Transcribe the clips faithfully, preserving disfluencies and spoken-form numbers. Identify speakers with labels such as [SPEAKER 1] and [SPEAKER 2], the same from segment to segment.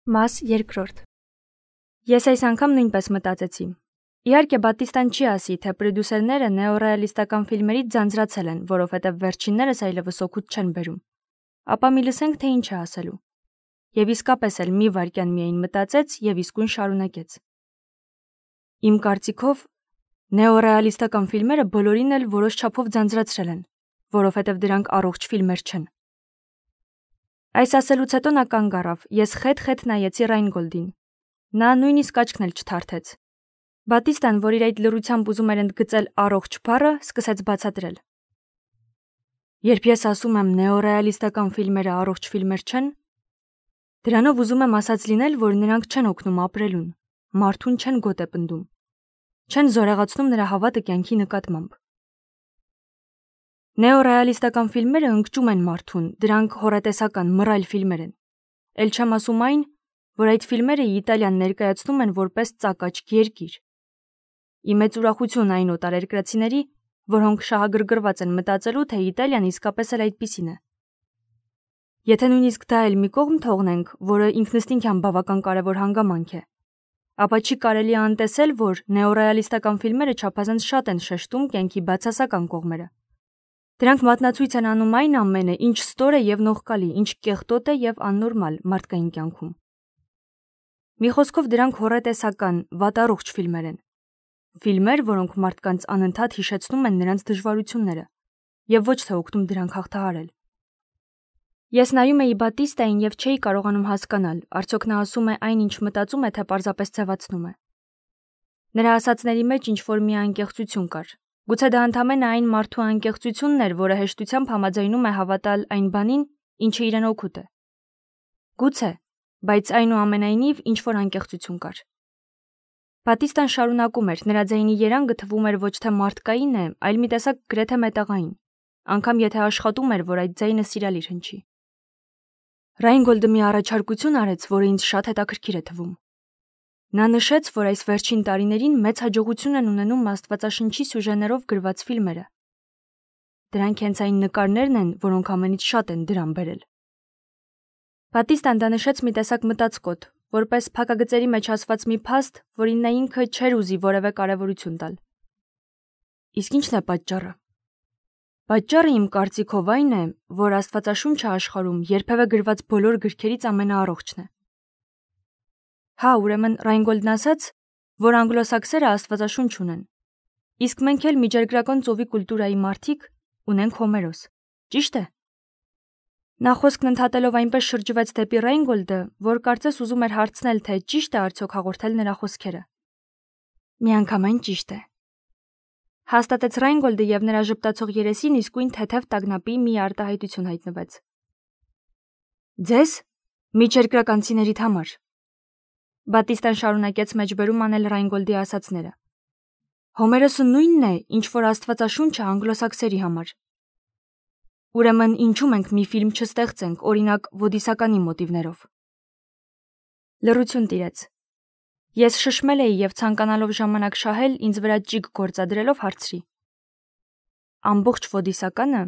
[SPEAKER 1] Մաս երկրորդ։ Ես այս անգամ նույնպես մտածեցի։ Իհարկե Բատիստան չի ասի, թե պրոդյուսերները նեոռեալիստական ֆիլմերից ձանձրացել են, որովհետև վերջիններս այլևս օգուտ չեն բերում։ Ապա մի լսենք, թե ինչ է ասելու։ Եվ իսկապես էլ մի վայրկյան միայն մտածեց եւ իսկույն շարունակեց։ Իմ կարծիքով նեոռեալիստական ֆիլմերը բոլորին էլ որոշ չափով ձանձրացրել են, որովհետև դրանք առողջ ֆիլմեր չեն։ Այս ասելուց հետո նա կանգ առավ, ես խետ-խետ նայեցի Ռայնգոլդին։ Նա նույնիսկ աչքն էլ չթարթեց։ Բատիստան, որ իր այդ լռությամբ ուզում էր ընդգծել առողջ բառը, սկսեց բացատրել։ Երբ ես ասում եմ նեոռեալիստական ֆիլմերը առողջ ֆիլմեր չեն, դրանով ուզում եմ ասած լինել, որ նրանք չեն օգնում ապրելուն, մարդուն չեն գոտ է պնդում, չեն զորեղացնում նրա հավատը կյանքի նկատմամբ։ Նեոռեալիստական ֆիլմերը ընկճում են մարդուն, դրանք հոռետեսական, մռայլ ֆիլմեր են։ Էլ չեմ ասում այն, որ այդ ֆիլմերը Իտալիան ներկայացնում են որպես ծակաճ երկիր։ Ի մեծ ուրախություն այն օտարերկրացիների, որոնք շահագրգռված են մտածելու, թե Իտալիան իսկապես էլ այդպիսին է։ Եթե նույնիսկ դա էլ մի կողմ թողնենք, որը ինքնըստինքյան բավական կարևոր հանգամանք է, ապա չի կարելի անտեսել, որ նեոռեալիստական ֆիլմերը չափազանց շատ են շեշտում կյանքի բացասական կողմերը։ Դրանք մատնացույց են անում այն ամենը, ինչ ստոր է եւ նողկալի, ինչ կեղտոտ է եւ աննորմալ մարդկային կյանքում։ Մի խոսքով դրանք հոռետեսական, վատառողջ ֆիլմեր են։ Ֆիլմեր, որոնք մարդկանց անընդհատ հիշեցնում են նրանց դժվարությունները եւ ոչ թե օգնում դրանք հաղթահարել։ Ես նայում էի Բատիստային եւ չէի կարողանում հասկանալ, արդյոք նա ասում է այն, ինչ մտածում է, թե պարզապես ձևացնում է։ Նրա ասածների մեջ ինչ-որ մի անկեղծություն կար։ Գուցե դա ընդամենը այն մարդու անկեղծությունն էր, որը հեշտությամբ համաձայնում է հավատալ այն բանին, ինչը իրեն օգուտ է։ Գուցե, բայց այնուամենայնիվ ինչ-որ անկեղծություն կար։ Բատիստան շարունակում էր, նրա ձայնի երանգը թվում էր ոչ թե մարդկային է, այլ մի տեսակ գրեթե մետաղային, անգամ եթե աշխատում էր, որ այդ ձայնը սիրալիր հնչի։ Ռայնգոլդը մի առաջարկություն արեց, որը ինձ շատ հետաքրքիր է թվում։ Նա նշեց, որ այս վերջին տարիներին մեծ հաջողություն են ունենում աստվածաշնչի սյուժեներով գրված ֆիլմերը։ Դրանք հենց այն նկարներն են, որոնք ամենից շատ են դրան բերել։ Բատիստան դա նշեց մի տեսակ մտածկոտ, որպես փակագծերի մեջ ասված մի փաստ, որին նա ինքը չէր ուզի որևէ կարևորություն տալ։ Իսկ ի՞նչն է պատճառը։ Պատճառը իմ կարծիքով այն է, որ Աստվածաշունչը աշխարհում երբևէ գրված բոլոր գրքերից ամենաառողջն է։ Հա, ուրեմն Ռայնգոլդն ասաց, որ անգլոսաքսերը Աստվածաշունչ ունեն, իսկ մենք էլ միջերգրական ծովի կուլտուրայի մարդիկ ունենք Հոմերոս, ճիշտ է։ Նա խոսքն ընդհատելով այնպես շրջվեց դեպի Ռայնգոլդը, որ կարծես ուզում էր հարցնել, թե ճիշտ է արդյոք հաղորդել նրա խոսքերը։ Միանգամայն ճիշտ է։ Հաստատեց Ռայնգոլդը եւ նրա ժպտացող երեսին իսկույն թեթև տագնապի մի արտահայտություն հայտնվեց։ Ձեզ միջերգրականցիներիդ համար։ Բատիստան շարունակեց մեջբերում անել Ռայնգոլդի ասածները։ Հոմերոսը նույնն է, ինչ որ Աստվածաշունչը անգլոսաքսերի համար։ Ուրեմն ինչու մենք մի ֆիլմ չստեղծենք, օրինակ ոդիսականի մոտիվներով։ Լռություն տիրեց։ Ես շշմել էի եւ ցանկանալով ժամանակ շահել, ինձ վրա ճիգ գործադրելով հարցրի. Ամբողջ ոդիսականը,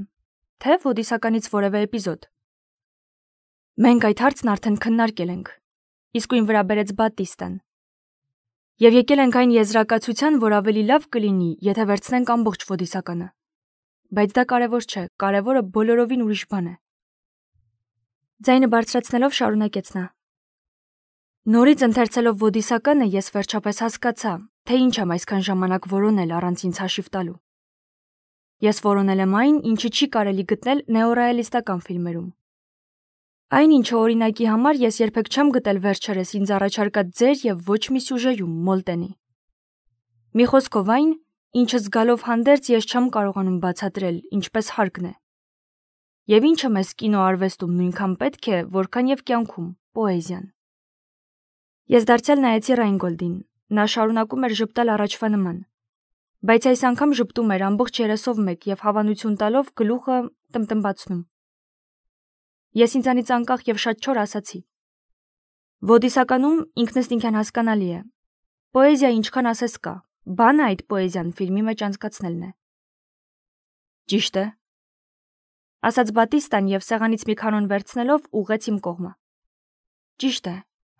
[SPEAKER 1] թե ոդիսականից որևէ էպիզոդ։ Մենք այդ հարցն արդեն քննարկել ենք։ Իսկույն վրա բերեց Բատիստան։ Եվ եկել ենք այն եզրակացության, որ ավելի լավ կլինի, եթե վերցնենք ամբողջ ոդիսականը։ Բայց դա կարևոր չէ, կարևորը բոլորովին ուրիշ բան է։ Ձայնը բարձրացնելով շարունակեց նա. Նորից ընթերցելով ոդիսականը ես վերջապես հասկացա, թե ինչ եմ այսքան ժամանակ որոնել առանց ինձ հաշիվ տալու։ Ես որոնել եմ այն, ինչը չի կարելի գտնել նեոռեալիստական ֆիլմերում։ Այն, ինչը օրինակի համար ես երբեք չեմ գտել վերջերս ինձ առաջարկած ձեր եւ ոչ մի սյուժեում Մոլտենի։ Մի խոսքով այն, ինչը զգալով հանդերձ ես չեմ կարողանում բացատրել, ինչպես հարկն է։ Եվ ինչը մեզ կինոարվեստում նույնքան պետք է, որքան եւ կյանքում պոեզիան։ Ես դարձյալ նայեցի Ռայնգոլդին, նա շարունակում էր ժպտալ առաջվա նման, բայց այս անգամ ժպտում էր ամբողջ երեսով մեկ եւ հավանություն տալով գլուխը տնտնբացնում։ Ես ինձանից անկախ եւ շատ չոր ասացի. Ոդիսականում ինքնըստինքյան հասկանալի է։ Պոեզիա ինչքան ասես կա, բանը այդ պոեզիան ֆիլմի մեջ անցկացնելն է։ Ճիշտ է, ասաց Բատիստան եւ սեղանից մի քանոն վերցնելով ուղղեց իմ կողմը։ Ճիշտ է,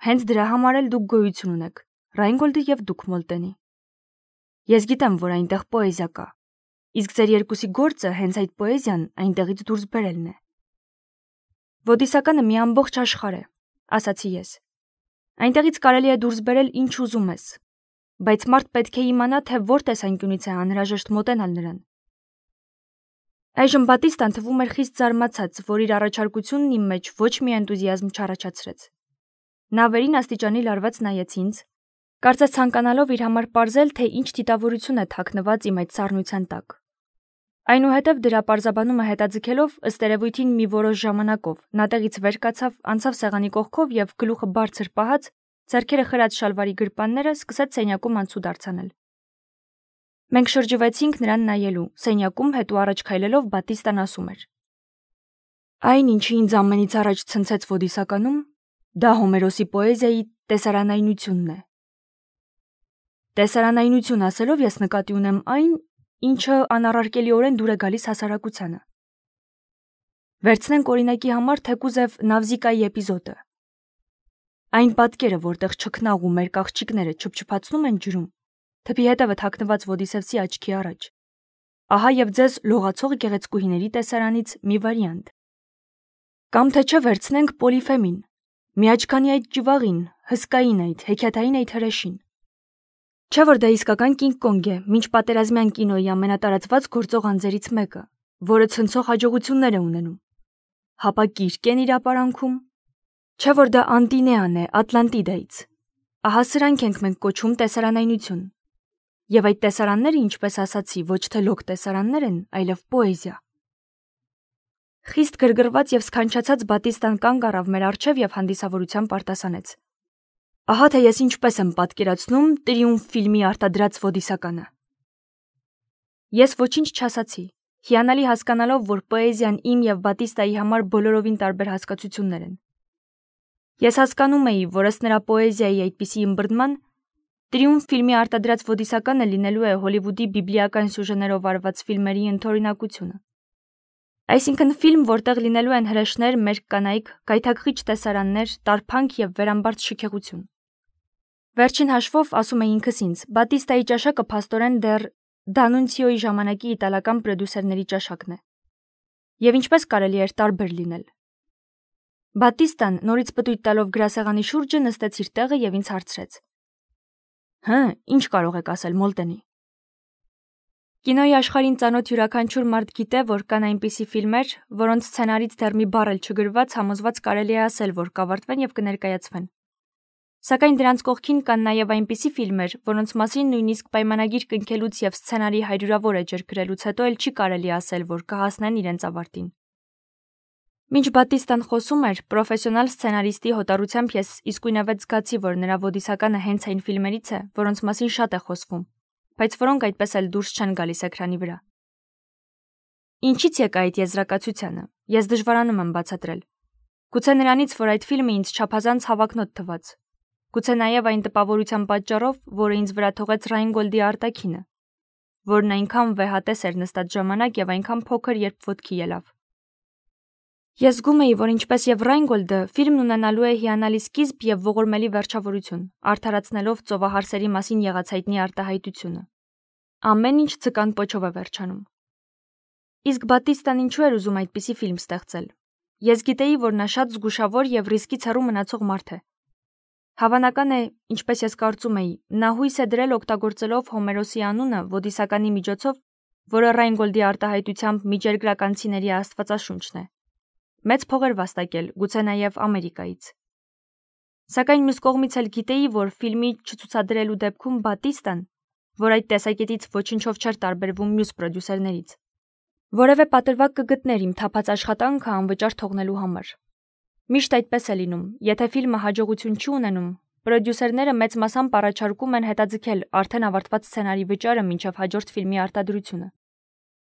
[SPEAKER 1] Հենց դրա համար էլ դուք գոյություն ունեք, Ռայնգոլդը եւ դուք Մոլտենի։ Ես գիտեմ, որ այնտեղ պոեզիա կա, իսկ ձեր երկուսի գործը հենց այդ պոեզիան այնտեղից դուրս բերելն է։ Ոդիսականը մի ամբողջ աշխարհ է, ասացի ես։ Այնտեղից կարելի է դուրս բերել ինչ ուզում ես, բայց մարդ պետք է իմանա, թե որ տեսանկյունից է անհրաժեշտ մոտենալ նրան։ Այժմ Բատիստան թվում էր խիստ զարմացած, որ իր առաջարկությունն իմ մեջ ոչ մի էնտուզիազմ չառաջացրեց։ Նա վերին աստիճանի լարված նայեց ինձ, կարծես ցանկանալով իր համար պարզել, թե ինչ դիտավորություն է թաքնված իմ այդ սառնության տակ։ Այնուհետև դրա պարզաբանումը հետաձգելով, ըստ երևույթին մի որոշ ժամանակով, նա տեղից վեր կացավ, անցավ սեղանի կողքով եւ գլուխը բարձր պահած, ձեռքերը խրած շալվարի գրպանները սկսեց սենյակում անցուդ արձանել։ Մենք շրջվեցինք նրան նայելու, սենյակում հետո առաջ քայլելով Բատիստան ասում էր. Այն, ինչը ինձ ամենից առաջ ցնցեց Ոդիսականում, դա Հոմերոսի պոեզիայի տեսարանայնությունն է։ Տեսարանայնություն ասելով ես նկատի ունեմ այն, ինչը անառարկելիորեն դուր է գալիս հասարակությանը։ Վերցնենք օրինակի համար թեկուզև Նավզիկայի էպիզոդը։ Այն պատկերը, որտեղ չքնաղ ու մեր աղջիկները չփչփացնում են ջրում, թփի հետևը թաքնված Ոդիսևսի աչքի առաջ։ Ահա եւ ձեզ լողացող գեղեցկուհիների տեսարանից մի վարիանտ։ Կամ թե չէ վերցնենք Պոլիֆեմին, միաչքանի այդ ջվաղին, հսկային այդ, հեքիաթային այդ հրեշին։ Չէ՞ որ դա իսկական Կինգ Կոնգ է, մինչ պատերազմյան կինոյի ամենատարածված գործող անձերից մեկը, որը ցնցող հաջողություններ է ունենում։ Հապա Կիրկեն իր ապարանքում։ Չէ՞ որ դա Անտինեան է Ատլանտիդայից։ Ահա սրանք ենք մենք կոչում տեսարանայնություն։ Եվ այդ տեսարանները, ինչպես ասացի, ոչ թե լոկ տեսարաններ են, այլև պոեզիա։ Խիստ գրգռված եւ սքանչացած Բատիստան կանգ առավ մեր առջև եւ հանդիսավորությամբ արտասանեց. Ահա թե ես ինչպես եմ պատկերացնում Տրիումֆ ֆիլմի արտադրած Ոդիսականը։ Ես ոչինչ չասացի, հիանալի հասկանալով, որ պոեզիան իմ եւ Բատիստայի համար բոլորովին տարբեր հասկացություններ են։ Ես հասկանում էի, որ ըստ նրա պոեզիայի այդպիսի ըմբռնման Տրիումֆ ֆիլմի արտադրած Ոդիսականը լինելու է Հոլիվուդի բիբլիական սյուժեներով արված ֆիլմերի ընդօրինակությունը։ Այսինքն ֆիլմ, որտեղ լինելու են հրեշներ, մերկ կանայք, գայթակղիչ տեսարաններ, տարփանք եւ վերամբարձ շքեղություն։ Վերջին հաշվով, ասում է ինքս ինձ, Բատիստայի ճաշակը փաստորեն դեռ Դանունցիոյի ժամանակի իտալական պրոդյուսերների ճաշակն է։ Եվ ինչպես կարելի էր տարբեր լինել։ Բատիստան նորից պտույտ տալով գրասեղանի շուրջը նստեց իր տեղը եւ ինձ հարցրեց. Հը, ինչ կարող եք ասել Մոլտենի։ Կինոյի աշխարհին ծանոթ յուրաքանչյուր մարդ գիտե, որ կան այնպիսի ֆիլմեր, որոնց սցենարից դեռ մի բառ էլ չգրված համոզված կարելի է ասել, որ կավարտվեն եւ կներկայացվեն։ Սակայն դրանց կողքին կան նաեւ այնպիսի ֆիլմեր, որոնց մասին նույնիսկ պայմանագիր կնքելուց եւ սցենարի հայրուրավոր էջեր գրելուց հետո էլ չի կարելի ասել, որ կհասնեն իրենց ավարտին։ Մինչ Բատիստան խոսում էր, պրոֆեսիոնալ սցենարիստի հոտառությամբ ես իսկույնավետ զգացի, որ նրա Ոդիսականը հենց այն ֆիլմերից է, որոնց մասին շատ է խոսվում, բայց որոնք այդպես էլ դուրս չեն գալիս էկրանի վրա։ Ինչից եկա այդ եզրակացությանը, ես դժվարանում եմ բացատրել։ Գուցե նրանից, որ այդ ֆիլմը ինձ չափազանց հավակնոտ թվաց։ Գուցե նաև այն տպավորության պատճառով, որը ինձ վրա թողեց Ռայնգոլդի արտաքինը, որն այնքան վեհատես էր նստած ժամանակ եւ այնքան փոքր, երբ ոտքի ելավ։ Ես զգում էի, որ ինչպես եւ Ռայնգոլդը, ֆիլմն ունենալու է հիանալի սկիզբ եւ ողորմելի վերջավորություն, արդարացնելով ծովահարսերի մասին եղած հայտնի արտահայտությունը։ Ամեն ինչ ցկան պոչով է վերջանում։ Իսկ Բատիստան ինչու էր ուզում այդպիսի ֆիլմ ստեղծել։ Ես գիտեի, որ նա շատ զգուշավոր եւ ռիսկից հեռու մնացող մարդ է։ Հավանական է, ինչպես ես կարծում էի, նա հույս է դրել օգտագործելով Հոմերոսի անունը Ոդիսականի միջոցով, որը Ռայնգոլդի արտահայտությամբ միջերկրականցիների աստվածաշունչն է։ Մեծ փողեր վաստակել, գուցե նաև Ամերիկայից։ Սակայն մյուս կողմից էլ գիտեի, որ ֆիլմի չցուցադրելու դեպքում Բատիստան, որ այդ տեսակետից ոչինչով չէր տարբերվում մյուս պրոդյուսերներից, որևէ պատրվակ կգտներ իմ թափած աշխատանքը անվճար թողնելու համար։ Միշտ այդպես է լինում, եթե ֆիլմը հաջողություն չի ունենում, պրոդյուսերները մեծ մասամբ առաջարկում են հետաձգել արդեն ավարտված սցենարի վճարը մինչև հաջորդ ֆիլմի արտադրությունը։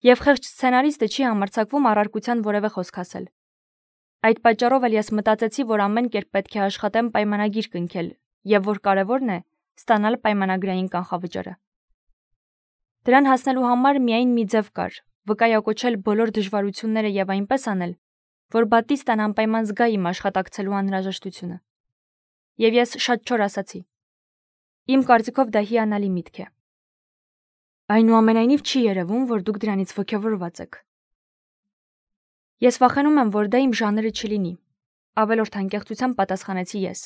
[SPEAKER 1] Եվ խեղճ սցենարիստը չի համարձակվում առարկության որևէ խոսք ասել։ Այդ պատճառով էլ ես մտածեցի, որ ամեն կերպ պետք է աշխատեմ պայմանագիր կնքել, եւ որ կարևորն է ստանալ պայմանագրային կանխավճարը։ Դրան հասնելու համար միայն մի ձև կար՝ վկայակոչել բոլոր դժվարությունները եւ այնպես անել, որ Բատիստան անպայման զգա իմ աշխատակցելու անհրաժեշտությունը։ Եվ ես շատ չոր ասացի. Իմ կարծիքով դա հիանալի միտք է։ Այնուամենայնիվ չի երևում, որ դուք դրանից ոգևորված եք։ Ես վախենում եմ, որ դա իմ ժանրը չլինի, ավելորդ անկեղծությամբ պատասխանեցի ես։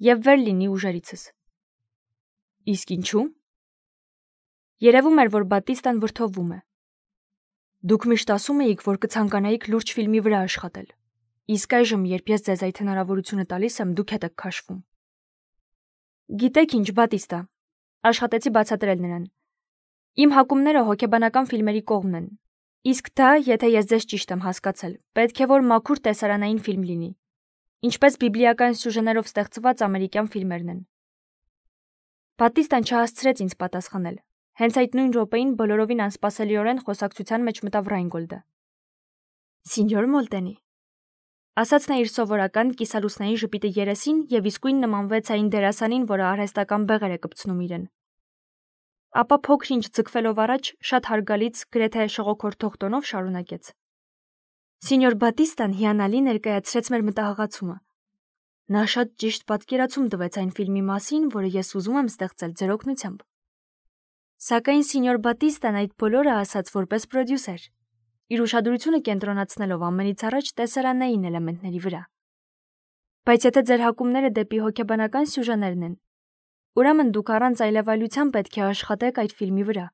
[SPEAKER 1] Եվ վեր լինի ուժերիցս։ Իսկ ինչու՞։ Երևում էր, որ Բատիստան վրդովվում է։ Դուք միշտ ասում էիք, որ կցանկանայիք լուրջ ֆիլմի վրա աշխատել։ Իսկ այժմ, երբ ես ձեզ այդ հնարավորությունը տալիս եմ, դուք հետ եք քաշվում։ Գիտեք ինչ, Բատիստա, աշխատեցի բացատրել նրան։ Իմ հակումները հոգեբանական ֆիլմերի կողմն են։ Իսկ դա, եթե ես ձեզ ճիշտ եմ հասկացել, պետք է որ մաքուր տեսարանային ֆիլմ լինի, ինչպես բիբլիական սյուժեներով ստեղծված ամերիկյան ֆիլմերն են։ Բատիստան չհասցրեց ինձ պատասխանել։ Հենց այդ նույն րոպեին բոլորովին անսպասելիորեն խոսակցության մեջ մտավ Ռայնգոլդը։ Սինյոր Մոլտենի, ասաց նա իր սովորական կիսալուսնային ժպիտը երեսին եւ իսկույն նմանվեց այն դերասանին, որը արհեստական բեղեր է կպցնում իրեն։ Ապա փոքր-ինչ ձգվելով առաջ, շատ հարգալից, գրեթե շողոքորթող տոնով շարունակեց. Սինյոր Բատիստան հիանալի ներկայացրեց մեր մտահղացումը։ Նա շատ ճիշտ պատկերացում տվեց այն ֆիլմի մասին, որը ես ուզում եմ ստեղծել ձեր օգնությամբ։ Սակայն սինյոր Բատիստան այդ բոլորը ասաց որպես պրոդյուսեր, իր ուշադրությունը կենտրոնացնելով ամենից առաջ տեսարանային էլեմենտների վրա։ Բայց եթե ձեր հակումները դեպի հոգեբանական սյուժեներն են, ուրեմն դուք առանց այլևայլության պետք է աշխատեք այդ ֆիլմի վրա,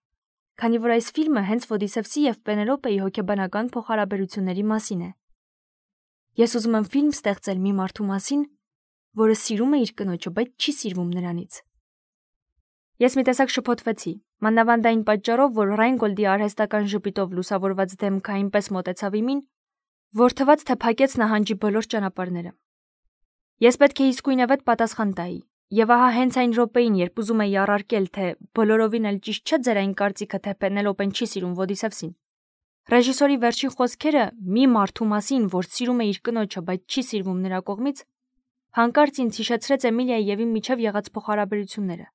[SPEAKER 1] քանի որ այս ֆիլմը հենց Ոդիսևսի և Պենելոպեի հոգեբանական փոխհարաբերությունների մասին է։ Ես ուզում եմ ֆիլմ ստեղծել մի մարդու մասին, որը սիրում է իր կնոջը, բայց չի սիրվում նրանից։ Ես մի տեսակ շփոթվեցի, մանավանդ այն պատճառով, որ Ռայնգոլդի արհեստական ժպիտով լուսավորված դեմքը այնպես մոտեցավ իմին, որ թվաց, թե փակեց նահանջի բոլոր ճանապարհները։ Ես պետք է իսկույնևեթ պատասխան տայի, եւ ահա հենց այն րոպեին, երբ ուզում էի առարկել, թե բոլորովին էլ ճիշտ չէ ձեր այն կարծիքը, թե Պենելոպեն չի սիրում Ոդիսևսին, ռեժիսորի վերջին խոսքերը մի մարդու մասին, որ սիրում է իր կնոջը, բայց չի սիրվում նրա կողմից, հանկարծ ինձ հիշեցրեց Էմիլիայի եւ իմ միջև եղած փոխհարաբերությունները։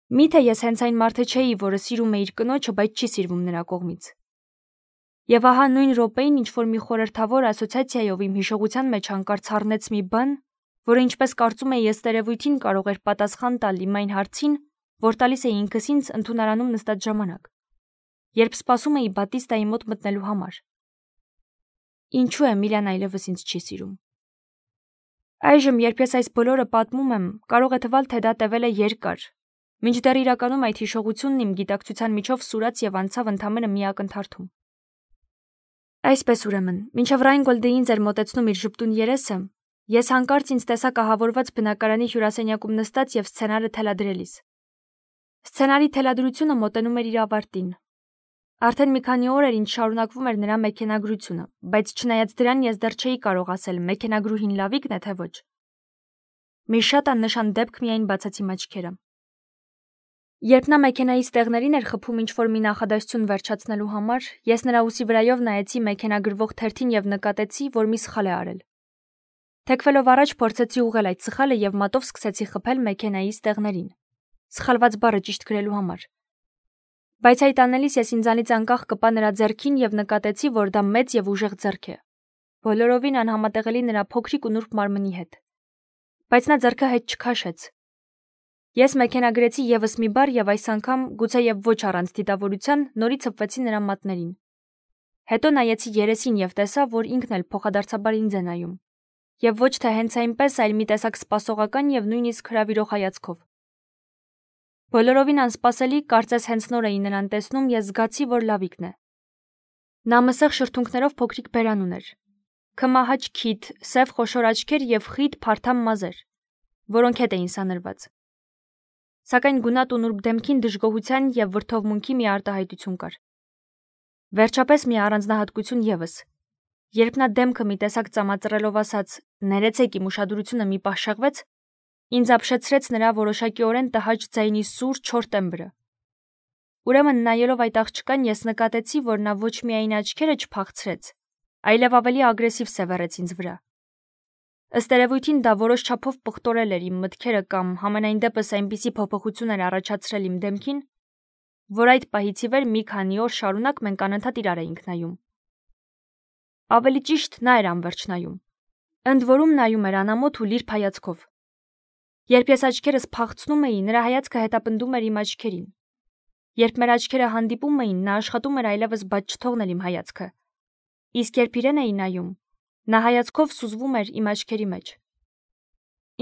[SPEAKER 1] Միթե ես հենց այն մարդը չէի, որը սիրում է իր կնոջը, բայց չի սիրվում նրա կողմից։ Եվ ահա նույն րոպեին ինչ-որ մի խորհրդավոր ասոցիացիայով իմ հիշողության մեջ հանկարծ առնեց մի բան, որը ինչպես կարծում էի ես տերևույթին կարող էր պատասխան տալ իմ այն հարցին, որ տալիս էի ինքս ինձ ընդունարանում նստած ժամանակ, երբ սպասում էի Բատիստայի մոտ մտնելու համար։ Ինչու Էմիլիան այլևս ինձ չի սիրում։ Այժմ, երբ ես այս բոլորը պատմում եմ, կարող է թվալ, թե դա տևել է երկար, մինչդեռ իրականում այդ հիշողությունն իմ գիտակցության միջով սուրաց եւ անցավ ընդամենը մի ակնթարթում։ Այսպես ուրեմն, մինչև Ռայնգոլդը ինձ էր մոտեցնում իր ժպտուն երեսը, ես հանկարծ ինձ տեսա կահավորված բնակարանի հյուրասենյակում նստած եւ սցենարը թելադրելիս։ Սցենարի թելադրությունը մոտենում էր իր ավարտին։ Արդեն մի քանի օր էր ինչ շարունակվում էր նրա մեքենագրությունը, բայց չնայած դրան ես դեռ չէի կարող ասել մեքենագրուհին լավիկն է թե ոչ։ Մի շատ աննշան դեպք միայն բացեցի աչքերը։ Երբ նա մեքենայի ստեղներին էր խփում ինչ-որ մի նախադասություն վերջացնելու համար, ես նրա ուսի վրայով նայեցի մեքենագրվող թերթին եւ նկատեցի, որ մի սխալ է արել։ Թեքվելով առաջ փորձեցի ուղղել այդ սխալը եւ մատով սկսեցի խփել մեքենայի ստեղներին, սխալված բառը ճիշտ գրելու համար։ Բայց այդ անելիս ես ինձանից անկախ կպա նրա ձեռքին եւ նկատեցի, որ դա մեծ եւ ուժեղ ձեռք է, բոլորովին անհամատեղելի նրա փոքրիկ ու նուրբ մարմնի հետ։ Բայց նա ձեռքը հետ չքաշեց։ Ես մեքենագրեցի եւս մի բառ եւ այս անգամ, գուցեև ոչ առանց դիտավորության, նորից հպվեցի նրա մատներին։ Հետո նայեցի երեսին եւ տեսա, որ ինքն էլ փոխադարձաբար ինձ է նայում։ Եվ ոչ թե հենց այնպես, այլ մի տեսակ սպասողական եւ նույնիսկ հրավիրող հայացքով։ Բոլորովին անսպասելի, կարծես հենց նոր էի նրան տեսնում, ես զգացի, որ լավիկն է։ Նա մսեղ շրթունքներով փոքրիկ բերան ուներ, քմահաճ քիթ, սև խոշոր աչքեր եւ խիտ փարթամ մազեր, որոնք հետ էին սանրված։ Սակայն գունատ ու նուրբ դեմքին դժգոհության եւ վրդովմունքի մի արտահայտություն կար։ Վերջապես մի առանձնահատկություն եւս։ Երբ նա դեմքը մի տեսակ ծամածռելով ասաց. «Ներեցեք, իմ ուշադրությունը մի պահ շեղվեց», ինձ ապշեցրեց նրա որոշակիորեն տհաճ ձայնի սուր չոր տեմբրը։ Ուրեմն նայելով այդ աղջկան ես նկատեցի, որ նա ոչ միայն աչքերը չփախցրեց, այլև ավելի ագրեսիվ սևեռեց ինձ վրա։ Ըստ երևույթին դա որոշ չափով պղտորել էր իմ մտքերը կամ համենայն դեպս այնպիսի փոփոխություն էր առաջացրել իմ դեմքին, որ այդ պահից ի վեր մի քանի օր շարունակ մենք անընդհատ իրար էինք նայում։ Ավելի ճիշտ նա էր անվերջ նայում, Ընդ որում նայում էր անամոթ ու լիրբ հայացքով։ Երբ ես աչքերս փախցնում էի, նրա հայացքը հետապնդում էր իմ աչքերին։ Երբ մեր աչքերը հանդիպում էին, նա աշխատում էր այլևս բաց չթողնել իմ հայացքը։ Իսկ երբ իրեն էի նայում, նա հայացքով սուզվում էր իմ աչքերի մեջ։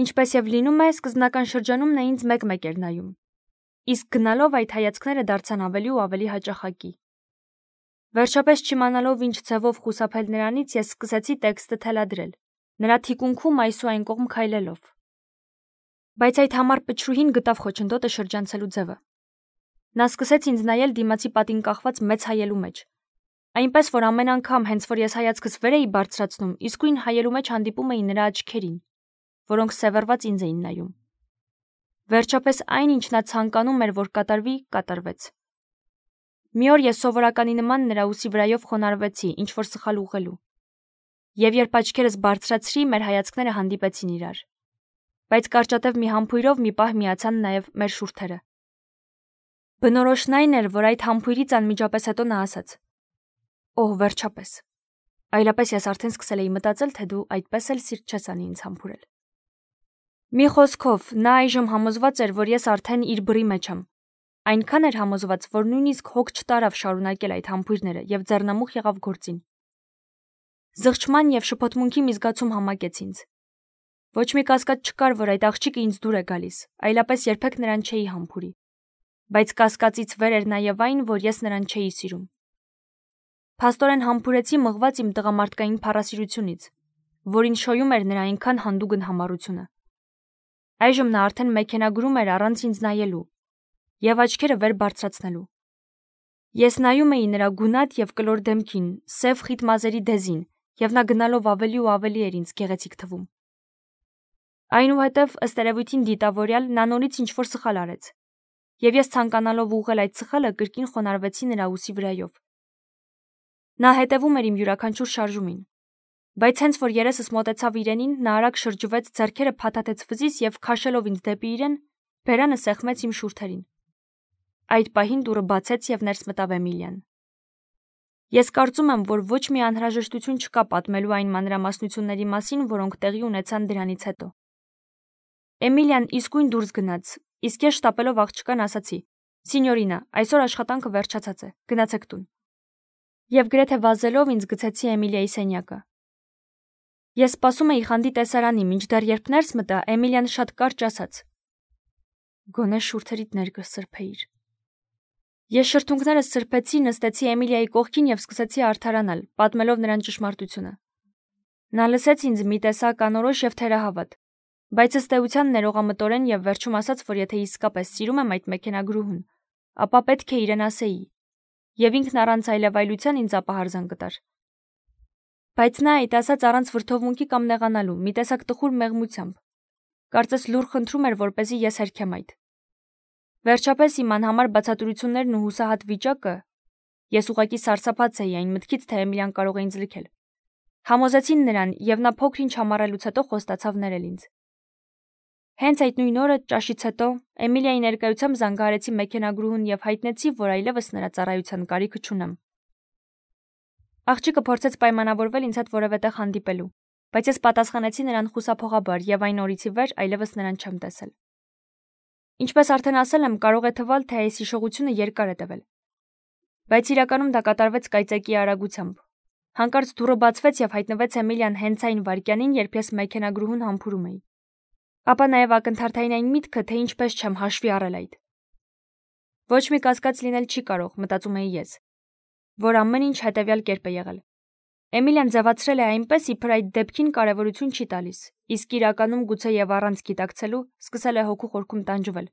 [SPEAKER 1] Ինչպես եւ լինում է, սկզբնական շրջանում նա ինձ մեկ-մեկ էր նայում։ Իսկ գնալով այդ հայացքները դարձան ավելի ու ավելի հաճախակի։ Վերջապես չիմանալով ինչ ձևով խուսափել նրանից, ես սկսեցի տեքստը թելադրել, նրա թիկունքում այս ու այն կողմ քայլելով։ Բայց այդ համառ պչրուհին գտավ խոչընդոտը շրջանցելու ձևը։ Նա սկսեց ինձ նայել դիմացի պատին կախված մեծ հայելու մեջ։ Այնպես որ ամեն անգամ, հենց որ ես հայացքս վեր էի բարձրացնում, իսկույն հայելու մեջ հանդիպում էի նրա աչքերին, որոնք սևեռված ինձ էին նայում։ Վերջապես այն, ինչ նա ցանկանում էր, որ կատարվի, կատարվեց։ Մի օր ես սովորականի նման նրա ուսի վրայով խոնարհվեցի, ինչ որ սխալ ուղղելու։ Եվ երբ աչքերս բարձրացրի, մեր հայացքները հանդիպեցին իրար։ Բայց կարճատև մի համբույրով մի պահ միացան նաև մեր շուրթերը։ Բնորոշն այն էր, որ այդ համբույրից անմիջապես հետո նա ասաց. «Օհ, վերջապես։ Այլապես ես արդեն սկսել էի մտածել, թե դու այդպես էլ սիրտ չես անի ինձ համբուրել»։ Մի խոսքով, նա այժմ համոզված էր, որ ես արդեն իր բռի մեջ եմ։ Այնքան էր համոզված, որ նույնիսկ հոգ չտարավ շարունակել այդ համբույրները եւ ձեռնամուխ եղավ գործին։ Զղջման եւ շփոթմունքի մի զգացում համակեց ինձ։ Ոչ մի կասկած չկար, որ այդ աղջիկը ինձ դուր է գալիս, այլապես երբեք նրան չէի համբուրի։ Բայց կասկածից վեր էր նաեւ այն, որ ես նրան չէի սիրում։ Փաստորեն համբուրեցի մղված իմ տղամարդկային փառասիրությունից, որին շոյում էր նրա այնքան հանդուգն համառությունը։ Այժմ նա արդեն մեքենագրում էր առանց ինձ նայելու եւ աչքերը վեր բարձրացնելու։ Ես նայում էի նրա գունատ եւ կլոր դեմքին, սև խիտ մազերի դեզին, եւ նա գնալով ավելի ու ավելի էր ինձ գեղեցիկ թվում։ Այնուհետև, ըստ երևույթին դիտավորյալ, նա նորից ինչ-որ սխալ արեց, եւ ես ցանկանալով ուղղել այդ սխալը, կրկին խոնարհվեցի նրա ուսի վրայով։ Նա հետևում էր իմ յուրաքանչյուր շարժումին, բայց հենց որ երեսս մոտեցավ իրենին, նա արագ շրջվեց, ձեռքերը փաթաթեց վզից եւ քաշելով ինձ դեպի իրեն, բերանը սեղմեց իմ շուրթերին։ Այդ պահին դուռը բացեց եւ ներս մտավ Էմիլիան։ Ես կարծում եմ, որ ոչ մի անհրաժեշտություն չկա պատմելու այն մանրամասնությունների մասին, որոնք տեղի ունեցան դրանից հետո։ Էմիլիան իսկույն դուրս գնաց, իսկ ես շտապելով աղջկան ասացի. «Սինյորինա, այսօր աշխատանքը վերջացած է, գնացեք տուն»։ Եվ գրեթե վազելով ինձ գցեցի Էմիլիայի սենյակը։ Ես սպասում էի խանդի տեսարանի, մինչդեռ երբ ներս մտա, Էմիլիան շատ կարճ ասաց. «Գոնե շուրթերիդ ներկսրբեիր»։ Ես շրթունքներս սրբեցի, նստեցի Էմիլիայի կողքին եւ սկսեցի արդարանալ, պատմելով նրան ճշմարտությունը։ Նա լսեց ինձ մի տեսակ անորոշ եւ թերահավատ, բայց ըստ էության ներողամտորեն եւ վերջում ասաց, որ եթե իսկապես սիրում եմ այդ մեքենագրուհուն, ապա պետք է իրեն ասեի, եւ ինքն առանց այլևայլության ինձ ապահարզան կտար։ Բայց նա այդ ասաց առանց վրդովմունքի կամ նեղանալու, մի տեսակ տխուր մեղմությամբ։ Կարծես լուր խնդրում էր, որպեսզի ես հերքեմ այդ։ Վերջապես իմ անհամար բացատրություններն ու հուսահատ վիճակը, ես ուղղակի սարսափած էի այն մտքից, թե Էմիլիան կարող է ինձ լքել, համոզեցին նրան, եւ նա փոքր-ինչ համառելուց հետո խոստացավ ներել ինձ։ Հենց այդ նույն օրը, ճաշից հետո, Էմիլիայի ներկայությամբ զանգահարեցի մեքենագրուհուն եւ հայտնեցի, որ այլևս նրա ծառայության կարիքը չունեմ։ Աղջիկը փորձեց պայմանավորվել ինձ հետ որևէ տեղ հանդիպելու, բայց ես պատասխանեցի նրան խուսափողաբար եւ այն օրից ի վեր այլևս նրան չեմ տեսել։ Ինչպես արդեն ասել եմ, կարող է թվալ, թե այս հիշողությունը երկար է տևել։ Բայց իրականում դա կատարվեց կայծակի արագությամբ։ Հանկարծ դուռը բացվեց եւ հայտնվեց Էմիլիան հենց այն վայրկյանին, երբ ես մեքենագրուհուն համբուրում էի։ Ապա նաեւ ակնթարթային այն միտքը, թե ինչպես չեմ հաշվի առել այդ։ Ոչ մի կասկած լինել չի կարող, մտածում էի ես, որ ամեն ինչ հետեւյալ կերպ է եղել։ Էմիլիան ձևացրել է այնպես, իբր այդ դեպքին կարևորություն չի տալիս, իսկ իրականում գուցե եւ առանց գիտակցելու սկսել է հոգու խորքում տանջվել։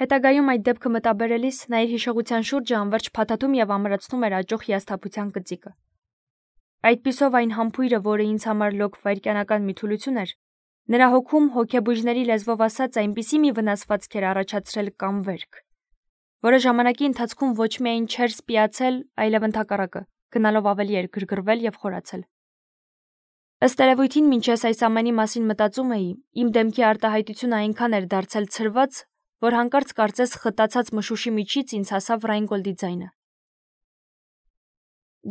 [SPEAKER 1] Հետագայում այդ դեպքը մտաբերելիս նա իր հիշողության շուրջը անverջ փաթաթում եւ ամրացնում էր աճող հիասթափության գծիկը։ Այդպիսով այն համբույրը, որը ինձ համար լոկ վայրկյանական մի թուլություն էր, նրա հոգում հոգեբույժների լեզվով ասած այնպիսի մի վնասվածք էր առաջացրել կամ վերք, որը ժամանակի ընթացքում ոչ միայն չէր սպիացել, այլև ընդհակառակը, գնալով ավելի էր գրգռվել եւ խորացել։ Ըստ երևույթին, մինչ ես այս ամենի մասին մտածում էի, իմ դեմքի արտահայտությունը այնքան էր դարձել ցրված, որ հանկարծ կարծես խտացած մշուշի միջից ինձ հասավ Ռայնգոլդի ձայնը։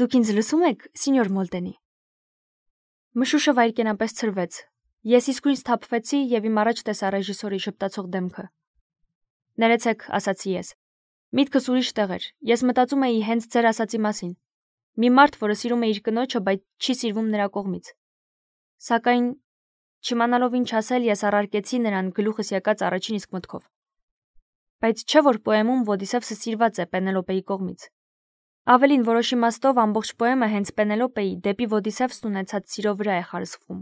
[SPEAKER 1] Դուք ինձ լսում եք, սինյոր Մոլտենի։ Մշուշը վայրկենապես ցրվեց։ Ես իսկույն սթափվեցի եւ իմ առաջ տեսա ռեժիսորի շփտացող դեմքը։ Ներեցեք, ասացի ես։ Միտքս ուրիշ տեղ էր։ Ես մտածում էի հենց ձեր ասացի մասին։ Մի մարդ, որը սիրում է իր կնոջը, բայց չի սիրվում նրա կողմից։ Սակայն, չիմանալով ինչ ասել, ես առարկեցի նրան գլուխս եկած առաջին իսկ մտքով։ Բայց չէ՞ որ պոեմում Ոդիսևսը սիրված է Պենելոպեի կողմից։ Ավելին, որոշ իմաստով ամբողջ պոեմը հենց Պենելոպեի դեպի Ոդիսևսն ունեցած սիրո վրա է խարսխվում։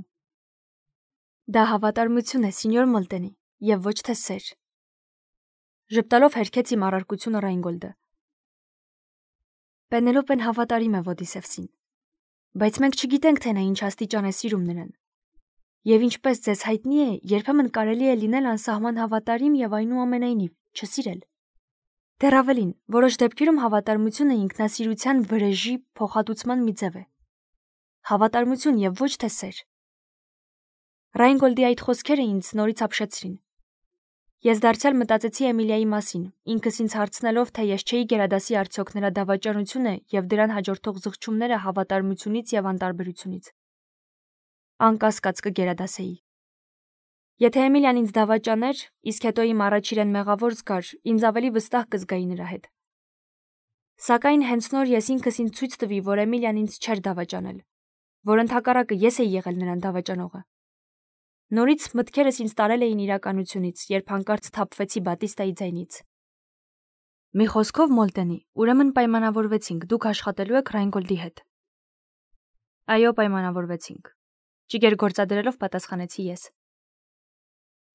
[SPEAKER 1] Դա հավատարմություն է, սենյոր Մոլտենի, եւ ոչ թե սեր։ Ժպտալով հերքեց իմ առարկությունը Ռայնգոլդը։ Պենելոպեն հավատարիմ է Ոդիսևսին, բայց մենք չգիտենք, թե նա ինչ աստիճան է սիրում նրան։ Եվ ինչպես ձեզ հայտնի է, երբեմն կարելի է լինել անսահման հավատարիմ եւ այնուամենայնիվ չսիրել։ Դեռ ավելին, որոշ դեպքերում հավատարմությունը ինքնասիրության վրեժի փոխհատուցման մի ձև է։ Հավատարմություն եւ ոչ թե սեր։ Ռայնգոլդի այդ խոսքերը ինձ նորից ապշեցրին։ Ես դարձյալ մտածեցի Էմիլիայի մասին, ինքս ինձ հարցնելով, թե ես չէի գերադասի արդյոք նրա դավաճանությունը եւ դրան հաջորդող զղջումները հավատարմությունից եւ անտարբերությունից։ Անկասկած կգերադասեի։ Եթե Էմիլիան ինձ դավաճաներ, իսկ հետո իմ առաջ իրեն մեղավոր զգար, ինձ ավելի վստահ կզգայի նրա հետ։ Սակայն հենց նոր ես ինքս ինձ ցույց տվի, որ Էմիլիան ինձ չէր դավաճանել, որ ընդհակառակը ես էի եղել նրան դավաճանողը։ Նորից մտքերս ինձ տարել էին իրականությունից, երբ հանկարծ թափվեցի Բատիստայի ձայնից։ Մի խոսքով Մոլտենի, ուրեմն պայմանավորվեցինք, դուք աշխատելու եք Ռայնգոլդի հետ։ Այո, պայմանավորվեցինք։ Ճիգեր գործադրելով պատասխանեցի ես։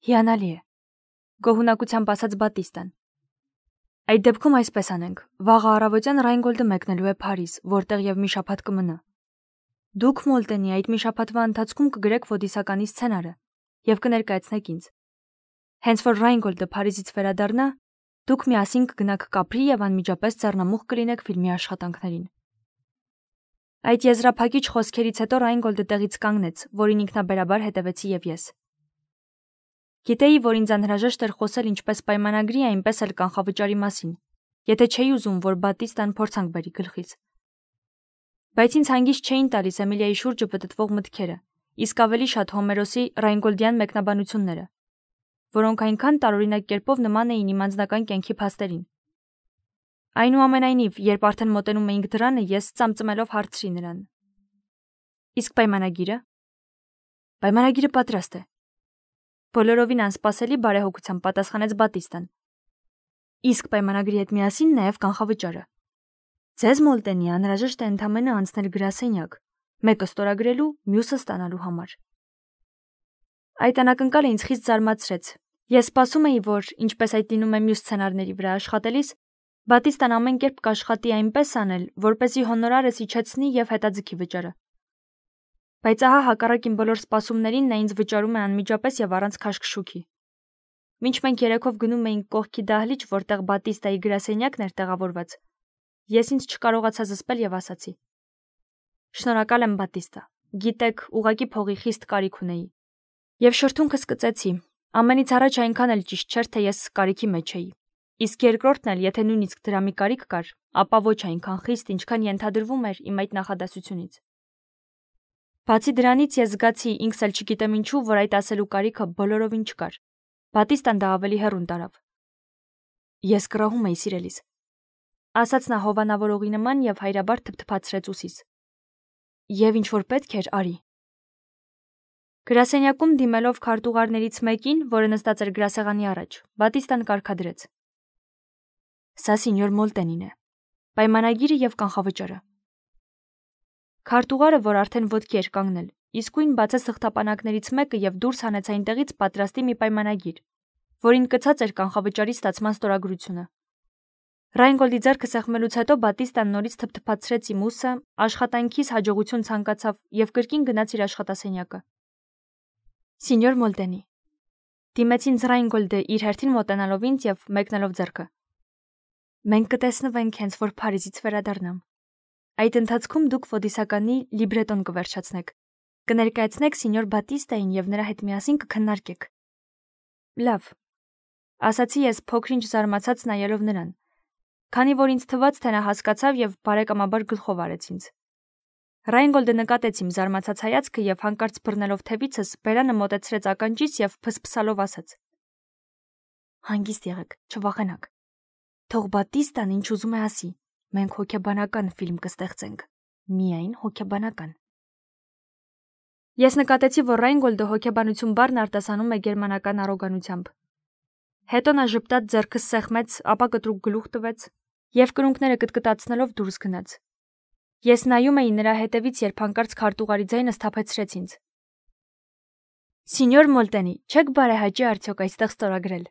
[SPEAKER 1] Հիանալի է, գոհունակությամբ ասաց Բատիստան։ Այդ դեպքում այսպես անենք, վաղը առավոտյան Ռայնգոլդը մեկնելու է Փարիզ, որտեղ եւ մի շաբաթ կմնա։ Դուք Մոլտենի այդ մի շաբաթվա ընթացքում կգրեք Ոդիսականի սցենարը եւ կներկայացնեք ինձ։ Հենց որ Ռայնգոլդը Փարիզից վերադառնա, դուք միասին կգնաք Կապրի եւ անմիջապես ձեռնամուխ կլինեք ֆիլմի աշխատանքներին։ Այդ եզրափակիչ խոսքերից հետո Ռայնգոլդը տեղից կանգնեց, որին ինքնաբերաբար հետևեցի եւ ես։ Գիտեի, որ ինձ անհրաժեշտ էր խոսել ինչպես պայմանագրի, այնպես էլ կանխավճարի մասին, եթե չէի ուզում, որ Բատիստան փորձանք բերի գլխից։ Բայց ինձ հանգիստ չէին տալիս Էմիլիայի շուրջը պտտվող մտքերը, իսկ ավելի շատ Հոմերոսի Ռայնգոլդյան մեկնաբանությունները, որոնք այնքան տարօրինակ կերպով նման էին իմ անձնական կյանքի փաստերին։ Այնուամենայնիվ, երբ արդեն մոտենում էինք դրանը, ես ծամծմելով հարցրի նրան. Իսկ պայմանագիրը։ Պայմանագիրը պատրաստ է։ Բոլորովին անսպասելի բարեհոգությամբ պատասխանեց Բատիստան։ Իսկ պայմանագրի հետ միասին նաև կանխավճարը։ Ձեզ Մոլտենի անհրաժեշտ է ընդամենը անցնել գրասենյակ, մեկը ստորագրելու, մյուսը ստանալու համար։ Այդ անակնկալը ինձ խիստ զարմացրեց։ Ես սպասում էի, որ, ինչպես այդ լինում է մյուս սցենարների վրա աշխատելիս, Բատիստան ամեն կերպ կաշխատի այնպես անել, որպեսզի հոնորարս իջեցնի եւ հետաձգի վճարը։ Բայց ահա հակառակ իմ բոլոր սպասումներին նա ինձ վճարում է անմիջապես եւ առանց քաշքշուքի։ Մինչ մենք երեքով գնում էինք կողքի դահլիճ, որտեղ Բատիստայի գրասենյակն էր տեղավորված, ես ինձ չկարողացա զսպել եւ ասացի. Շնորհակալ եմ, Բատիստա։ Գիտեք, ուղակի փողի խիստ կարիք ունեի։ Եվ շրթունքս կծեցի։ Ամենից առաջ այնքան էլ ճիշտ չէր, թե ես կարիքի մեջ էի։ Իսկ երկրորդն էլ, եթե նույնիսկ դրա մի կարիք կար, ապա ոչ այնքան խիստ, ինչքան ենթադրվում էր իմ այդ նախադասությունից։ Բացի դրանից ես զգացի, ինքս էլ չգիտեմ ինչու, որ այդ ասելու կարիքը բոլորովին չկար։ Բատիստան դա ավելի հեռուն տարավ։ Ես կռահում էի սիրելիս, ասաց նա հովանավորողի նման եւ հայրաբար թփթփացրեց ուսիս։ Եվ ինչ որ պետք էր, արի։ Գրասենյակում դիմելով քարտուղարներից մեկին, որը նստած էր գրասեղանի առաջ, Բատիստան կարգադրեց. Սա սենյոր Մոլտենին է։ Պայմանագիրը եւ կանխավճարը։ Քարտուղարը, որ արդեն ոտքի էր կանգնել, իսկույն բացեց թղթապանակներից մեկը եւ դուրս հանեց այնտեղից պատրաստի մի պայմանագիր, որին կցած էր կանխավճարի ստացման ստորագրությունը։ Ռայնգոլդի ձեռքը սեղմելուց հետո Բատիստան նորից թփթփացրեց իմ ուսը, աշխատանքիս հաջողություն ցանկացավ եւ կրկին գնաց իր աշխատասենյակը։ Սենյոր Մոլտենի։ Դիմեց ինձ Ռայնգոլդը իր հերթին մոտենալով ինձ եւ մեկնելով ձեռքը։ Մենք կտեսնվենք հենց որ Փարիզից վերադառնամ։ Այդ ընթացքում դուք Ոդիսականի լիբրետոն կվերջացնեք, կներկայացնեք սենյոր Բատիստային եւ նրա հետ միասին կքննարկեք։ Լավ, ասացի ես փոքրինչ զարմացած նայելով նրան, քանի որ ինձ թվաց, թե նա հասկացավ եւ բարեկամաբար գլխով արեց ինձ։ Ռայնգոլդը նկատեց իմ զարմացած հայացքը եւ հանկարծ բռնելով թևիցս բերանը մոտեցրեց ականջիս եւ փսփսալով ասաց. Հանգիստ եղեք, չվախենաք։ Թող Բատիստան ինչ ուզում է ասի, մենք հոգեբանական ֆիլմ կստեղծենք, միայն հոգեբանական։ Ես նկատեցի, որ Ռայնգոլդը հոգեբանություն բառն արտասանում է գերմանական առոգանությամբ։ Հետո նա ժպտաց ձեռքս սեղմեց, ապա կտրուկ գլուխ տվեց եւ կրունկները կտկտացնելով դուրս գնաց։ Ես նայում էի նրա հետևից, երբ հանկարծ քարտուղարի ձայնը սթափեցրեց ինձ։ Սինյոր Մոլտենի, չեք բարեհաճի արդյոք այստեղ ստորագրել։